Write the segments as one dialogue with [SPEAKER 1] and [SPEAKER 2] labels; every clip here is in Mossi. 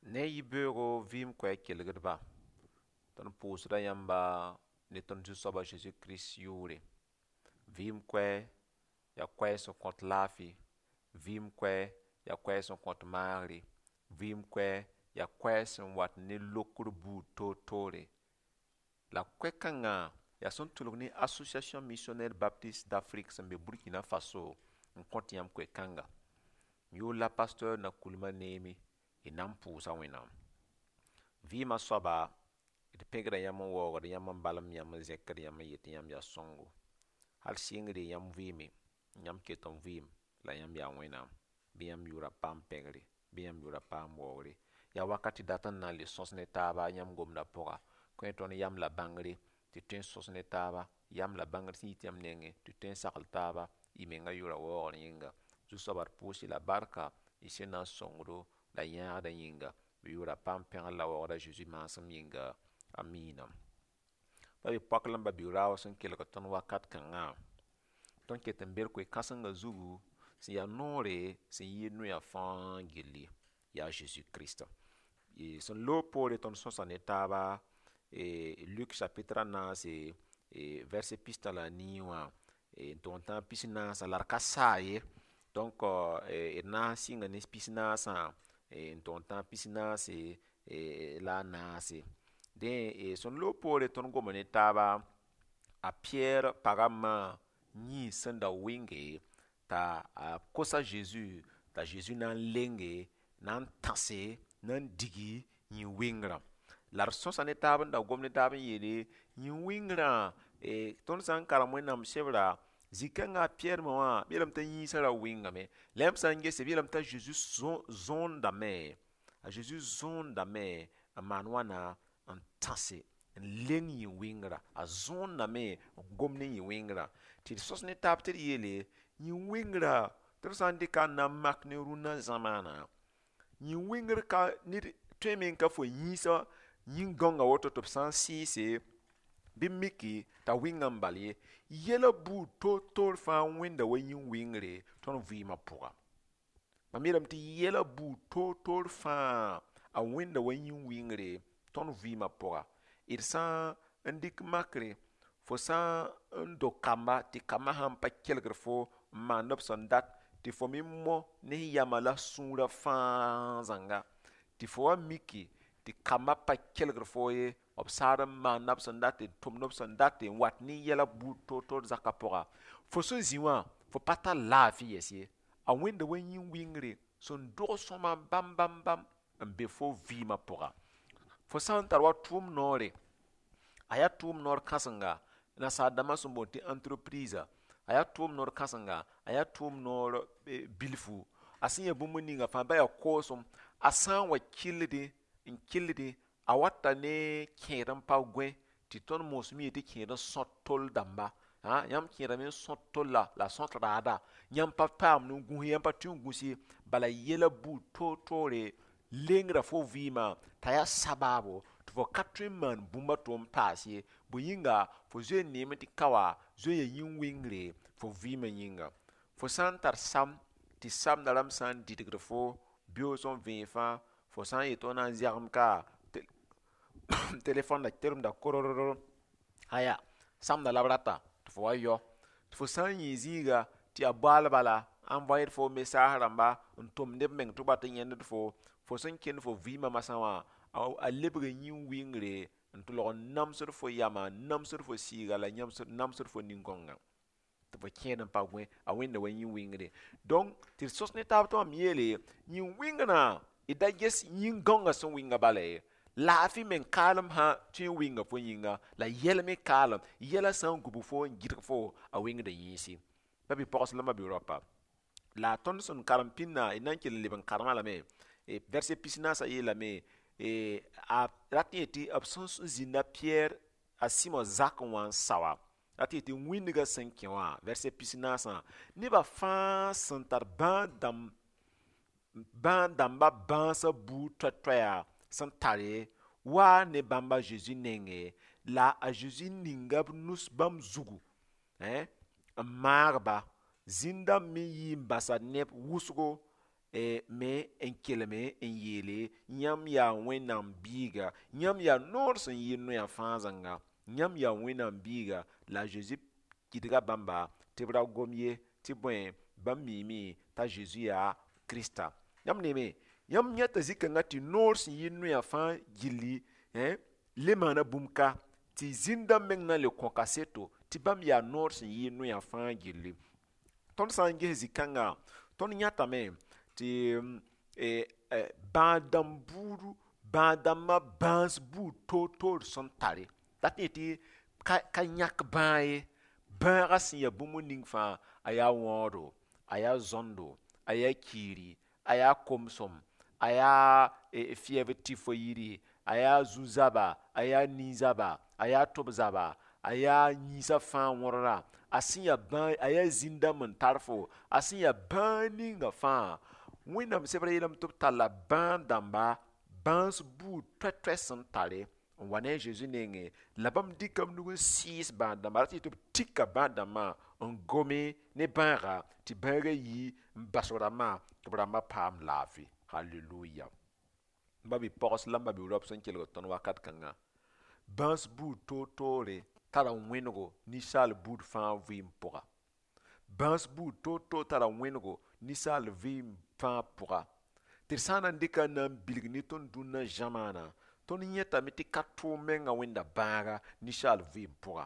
[SPEAKER 1] Ne yibeoogo vɩɩm koɛɛg kelgdba, tõnd pʋʋsda yãmba ne tõnd Zu-soab a Zeezi Kirist yʋʋre. Vɩɩm koɛɛ yaa koɛɛg sẽn kõt laafɩ, vɩɩm koɛɛ yaa koɛɛg sẽn kõt maagre, vɩɩm koɛɛ yaa koɛɛg sẽn wat ne lokr buud toor-toore. La koɛ-kãngã yaa sẽn tʋlg ne Association Missionnaire Baptiste d'Afrique sẽn be Burkina Faso n kõt yãmb koe-kãnga. M yʋʋr la pasteur Nakoulma Neemi, y na n pʋʋsa Wẽnnaam. Vɩɩmã soaba, d pẽgda yãmb n waoogd yãmb n balem yãmb n zẽkd yãmb n yet tɩ yãmb yaa sõngo. Hal sɩngre yãmb vɩɩme, yãmb ket n vɩɩm la yãmb yaa Wẽnnaam. Bɩ yãmb yʋʋra paam pẽgre, bɩ yãmb yʋʋra paam waoogre. Yaa wakat tɩ dat n na n le sõs ne taaba yãmb gomdã pʋga, kõ tõnd yam la bãngre tɩ tõe n sõs ne taaba, yam la bãngr sẽn yit yãmb nengẽ tɩ tõe n sagl taaba, y mengã yʋʋra waoogr yĩnga. Zu-soaba d pʋʋs-y la barka y sẽn na n sõngdo la yãagdã yĩnga. Bɩ yʋʋra paam pẽgr la waoogd a Zeezi maasem yĩnga. Amiina. Pa be poak la m ba-bi-raoog sẽn kelg tõnd wakat kãngã, tõnd ket n be d koe-kãsengã zugu sẽn yaa noore sẽn yɩɩd noyã fãa gilli, yaa Zeezi Kirist. Sẽn loog poore tõnd sõsa ne taaba Luk chapitre a naase, verset pistã la a nii wã n tog n tãag pis-naasã la d ka saa ye. Donc d na n sɩnga ne pis-naasã n tog n tãag pis-naase la a naase. Dẽ, sẽn loog poore tõnd goma ne taaba a Piyɛr pag a ma yĩns sẽn da wɩnge t'a a kos a Zeezi t'a Zeezi na n lenge, na n tãse, na n digi yĩn-wɩngrã. La d sõsa ne taab n da gom ne taab n yeele yĩn-wɩngrã, tõnd sã n karem Wẽnnaam sebra, zĩ-kãngã a Piyɛr ma wã b yeelame t'a yĩnsã ra wɩngame. La yãmb sã n gese b yeelame t'a Zeezi zõondame, a Zeezi zõondame n maan wãna n tãse n leng yĩn-wɩngrã, a zõondame n gom ne yĩn-wɩngrã. Tɩ d sõs ne taab tɩ d yeele yĩn-wɩngrã tɩ d sã n dɩka n na n mak ne rũnna zãmaana, yĩn-wɩngr ka ned tõeme n ka fo yĩnsã yĩn-gãongã woto tɩ b sã n sɩɩse bɩ miki t'a wɩnga n bal ye. Yɛla buud toor-toor fãa wẽnda wa yĩn-wɩngre tõnd vɩɩmã pʋga. Mam yeelame tɩ yɛla buud toor-toor fãa a wẽnda wa yĩn-wɩngre tõnd vɩɩmã pʋga. D sã n dɩk makre, fo sã n do kamba tɩ kambã sãn pa kelgd fo n maand b sẽn dat tɩ fo me mo ne yamã la sũurã fãa zãnga, tɩ fo wa miki tɩ kambã pa kelgd fo ye, b saad n maanda b sẽn dat n tʋmd b sẽn dat n wat ne yɛla buud toor-toor zakã pʋga, fo sẽn zĩ wã fo pa tar laafɩ yɛs ye. A wẽnda wa yĩn-wɩngre sẽn dog sõma bãmb bãmb bãmb n be fo vɩɩmã pʋga. Fo sã n tar wa tʋʋm noore, a yaa tʋʋm noor kãsenga nasaar dãmbã sẽn boond tɩ entreprise, a yaa tʋʋm noor kãsenga, a yaa tʋʋm noor bilfu, a sẽn ya bũmb ninga fãa ba yaa koosem, a sã n wa kɩlldẽ n kɩlldẽ a wata ne kẽed n pa gõe tɩ tõnd moosem yee tɩ kẽed n sõt tol dãmba. Yãmb kẽedame n sõt tolla la sõt raada, yãmb pa paam n gũs ye, yãmb pa tʋ n gũs ye, bala yɛla buud toor-toore lengra fo vɩɩmã t'a yaa sabaabo tɩ fo ka tõe n maan bũmb a to n paas ye. Bõe yĩnga fo zoe n neeme tɩ ka wa zoe n yaa yĩn-wɩngre fo vɩɩmã yĩnga. Fo sã n tar sam tɩ samdã rãmb sã n dɩdgd fo beoog sẽn vẽeg fãa, fo sã n yet tɩ f na n zɛgem ka telefõn da teremda korororo, aya samdã la b rata tɩ fo wa yao. Tɩ fo sã n yẽ zĩiga tɩ yaa boaal bala envoyer fo message rãmba n tʋmd b meng tɩ b wat n yẽnd fo, fo sẽn kẽnd fo vɩɩmã masã wã a lebga yĩn-wɩngre n tʋlg n namsd fo yamã, n namsd fo sɩɩga la namsd fo nin-gãongã tɩ fo kẽed n pa gõe, a wẽnda wa yĩn-wɩngre. Donc tɩ d sõs ne taab tɩ mam yeele yĩn-wɩngrã d da ges yĩn-gãongã sẽn wɩnga bala ye. Laafɩ meng kaalem sã tõe n wɩnga fo yĩnga, la yɛl me kaalem, yɛla sã n gubg fo n gɩdg fo a wɩngda yĩnsi. Ba-bi-pogs la ma-bi-raopa, la tõnd sẽn karem pĩnda d na n kell n leb n karemã lame, verset pis-naasã yeelame a rat n yetɩ b sẽn zĩnda Piyɛr a Sɩmo zakẽ wã n saoa, rat n yetɩ wĩndgã sẽn kẽ wã, verset pis-naasã, nebã fãa sẽn tar bãad-dãmbã bãasã buud toɛ-toɛya sẽn tare waa ne bãmb a Zeezi nengẽ, la a Zeezi ninga b nus bãmb zugu n maag-ba. Zĩn-dãmb me yii n basa neb wʋsgo. Me n kelme n yeele yãmb yaa Wẽnnaam biiga, yãmb yaa noor sẽn yɩ noya fãa zãnga, yãmb yaa Wẽnnaam biiga. La a Zezi gɩdga bãmba tɩ b ra gom ye, tɩ bõe, bãmb miime t'a Zezi yaa Krista. Yãmb neeme, yãmb yãta zĩ-kãngã tɩ noor sẽn yɩ noya fãa gilli le maana bũmb ka, tɩ zĩn-dãmb meng na n le kõ kaseto tɩ bãmb yaa noor sẽn yɩ noya fãa gilli. Tõnd sã n ges zĩ-kãnga, tõnd yãtame tɩ bãad-dãmb buudu, bãad-dãmbã bãas buud toor-toor sẽn tare, dat yẽ tɩ ka yãk bãag ye. Bãagã sẽn yaa bũmb ning fãa, a yaa wãoodo, a yaa zõndo, a yaa kiiri, a yaa komsem, a yaa fɩɛb tɩ fo yiri, a yaa zu-zaba, a yaa nin-zaba, a yaa tʋb-zaba, a yaa yĩnsã fãa wõdra, a sẽn yaa bãag, a yaa zĩn-dãmb n tar fo, a sẽn yaa bãag ninga fãa, Wẽnnaam sebrã yeelame tɩ b talla bãad-dãmba bãas buud toɛ-toɛ sẽn tare n wa ne a Zezi nengẽ, la bãmb dɩka b nug n sɩɩs bãad-dãmba, rat tɩ b tika bãad-dãmbã n gome ne bãaga tɩ bãagã yi n bas b rãmbã tɩ b rãmbã paam laafɩ. Halleluya. M ba-bi-pogs la m ba-bi-raop sẽn kelgd tõnd wakat kãnga, bãas buud toor-toore tara wẽnego ninsaal buud fãa vɩɩm pʋga. Bãas buud toor-toor tara wẽnego ninsaal vɩɩm fãa pʋga. Tɩ d sã n na n dɩka n na n bilg ne tõnd dũnna zãmaana, tõnd yẽtame tɩ ka tʋʋm menga wẽnda bãaga ninsaal vɩɩm pʋga.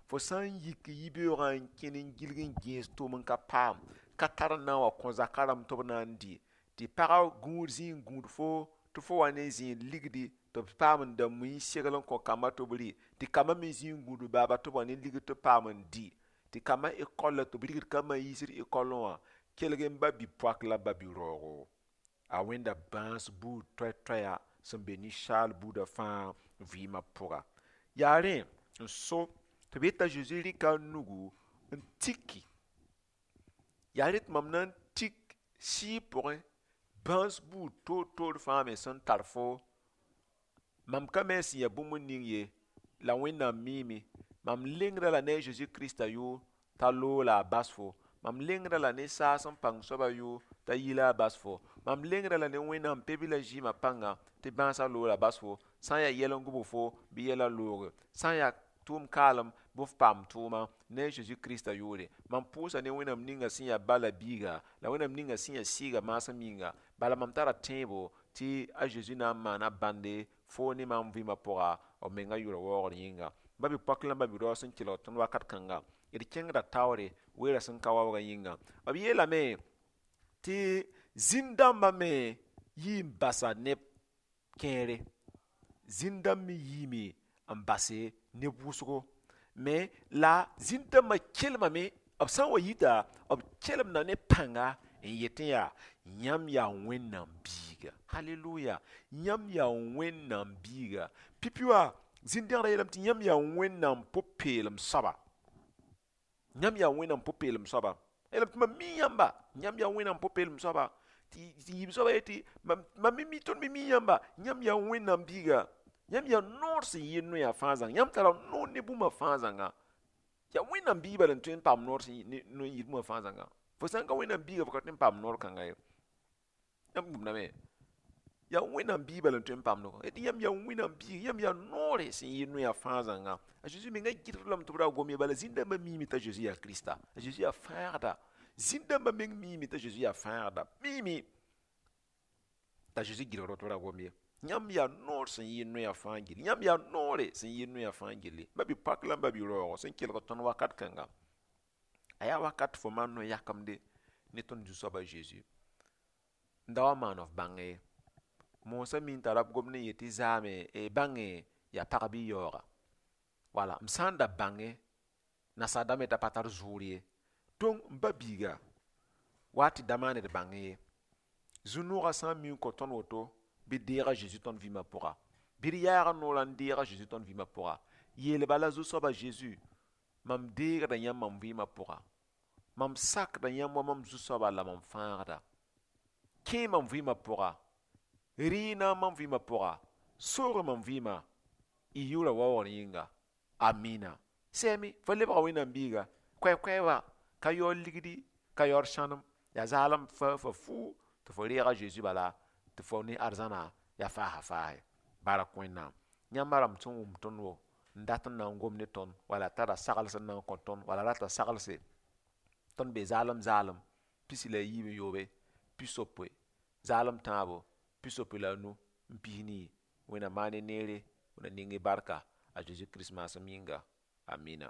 [SPEAKER 1] Fo sã n yik yibeoogã n kẽn n gilg n gẽes tʋʋm n ka paam, ka tar n na n wa kõ zakã rãmb tɩ b na n dɩ, tɩ pagã gũud zĩ n gũud fo tɩ fo wa ne zẽed ligdi tɩ b paam n da mui n segl n kõ kambã tɩ b rɩ, tɩ kambã me zĩ n gũud baaba tɩ b wa ne ligd tɩ b paam n dɩ, tɩ kambã ekɔl la tɩ b rigd kambã n yiisd ekɔlẽ wã, kelg n ba bi-poak la ba bi-raoogo. A wẽnda bãas buud toɛ-toɛya sẽn be ninsaal buudã fãa vɩɩmã pʋga. Yaa rẽ n so tɩ b yeta Zezi rɩka a nugu n tiki. Yaa rẽ tɩ mam na n tik sɩɩg pʋgẽ bãas buud toor-toor fãa me sẽn tar fo. Mam ka me sẽn yaa bũmb ning ye, la Wẽnnaam miime. Mam lengda la ne a Zezi Krista yʋʋr t'a loog la a bas fo. Mam lengda la ne saas n pãng soabã yʋʋr t'a yi la a bas fo. Mam lengda la ne Wẽnnaam pe-bilã zɩɩmã pãnga tɩ bãasã loog la bas fo. Sã n yaa yɛl n gʋbg fo, bɩ yɛlã looge. Sã n yaa tʋʋm kaalem, bɩ f paam tʋʋma ne a Zezi Krista yʋʋre. Mam pʋʋsa ne Wẽnnaam ninga sẽn yaa ba la biiga, la Wẽnnaam ninga sẽn yaa sɩɩga maasem yĩnga. Bala mam tara tẽebo tɩ a Zezi na n maana bãnde fo ne mam vɩɩmã pʋga, b mengã yʋʋra waoogr yĩnga. Ba-bi-poak la ba-bi-raoog sẽn kelg tõnd wakat kãnga, d kẽngda taoore weera sẽn ka waoogã yĩnga. B yeelame tɩ zĩn-dãmbã me yii n basa neb kẽere. Zĩn-dãmb me yiime n base neb wʋsgo. Me la zĩn-dãmbã kelmame, b sã n wa yita, b kelemda ne pãnga n yetẽ yaa yãmb yaa Wẽnnaam biiga. Halleluya. Yãmb yaa Wẽnnaam biiga. Pipi wã zĩn-dẽgdã yeelame tɩ yãmb yaa Wẽnnaam pʋ-peelem soaba. Yãmb yaa Wẽnnaam pʋ-peelem soaba. Yeelame tɩ mam mi yãmba, yãmb yaa Wẽnnaam pʋ-peelem soaba. Tɩ yiib soaba yetɩ mam me mi, tõnd me mi yãmba, yãmb yaa Wẽnnaam biiga. Yãmb yaa noor sẽn yɩ noya fãa zãnga. Yãmb tara noor ne bũmba fãa zãnga. Yaa Wẽnnaam biig bala n tõe n paam noor sẽn n yɩ bũmba fãa zãnga. Fo sã n ka Wẽnnaam biiga, fo ka tõe n paam noor kãnga ye. Yãmb gũudame. Yaa Wẽnnaam biig bala n tõe n paam noor. Tɩ yãmb yaa Wẽnnaam biig, yãmb yaa noore sẽn yɩ noya fãa zãnga. A Zezi mengã gɩdg lame tɩ b ra gom ye, bala zĩn-dãmbã miime t'a Zezi yaa Krista. A Zezi yaa fãagda. Zĩn-dãmbã meng miime t'a Zezi yaa fãagda. Miime t'a Zezi gɩdgd tɩ b ra gom ye. Yãmb yaa noor sẽn yɩ noya fãa gilli. Yãmb yaa noore sẽn yɩ noya fãa gilli. Ba-bi-poak la ba-bi-raoogo sẽn kelg tõnd wakat kãnga, a yaa wakat fo maan no-yakemde ne tõnd Zu-soab a Zezi. N da wa maan f bãng ye. Moosã mi n tara b gomd n yet tɩ zaame bãnge yaa pag bɩ yaooga. Wala m sã n da bãnge nasaar dãmb t'a pa tar zʋʋr ye. Donc m ba biiga wa tɩ da maan d bãng ye. Zu-noogã sã n mi n kõ tõnd woto, bɩ deeg a Zezi tõnd vɩɩmã pʋga. Bɩ d yaag noorã n deeg a Zezi tõnd vɩɩmã pʋga. Yeel bala Zu-soab a Zezi, mam deegda yãmb mam vɩɩmã pʋga. Mam sakda yãmb wa mam Zu-soaba la mam fãagda. Kẽ mam vɩɩmã pʋga. Rɩɩna mam vɩɩmã pʋga. Soog mam vɩɩmã. Y yʋʋra waoogr yĩnga. Amina. Sɛɛme, fo lebga Wẽnnaam biiga. Koɛɛ-koɛɛ wa ka yaood ligdi, ka yaood sãnem. Yaa zaalem fa fo fuu. Tɩ fo reeg a Zeezi bala tɩ fo ne arzãna yaa faasa faase. Bark Wẽnnaam. Yãmba rãmb sẽn wʋm tõnd wo n dat n na n gom ne tõnd, wala tara sagls n na n kõ tõnd, wala rata saglse, tõnd be zaalem zaalem 63, 80, zaalem tãabo, 85 n 4. Wẽnnaam maan y neere, Wẽnnaam ning y barka a Zeezi Kirist maasem yĩnga. Amina.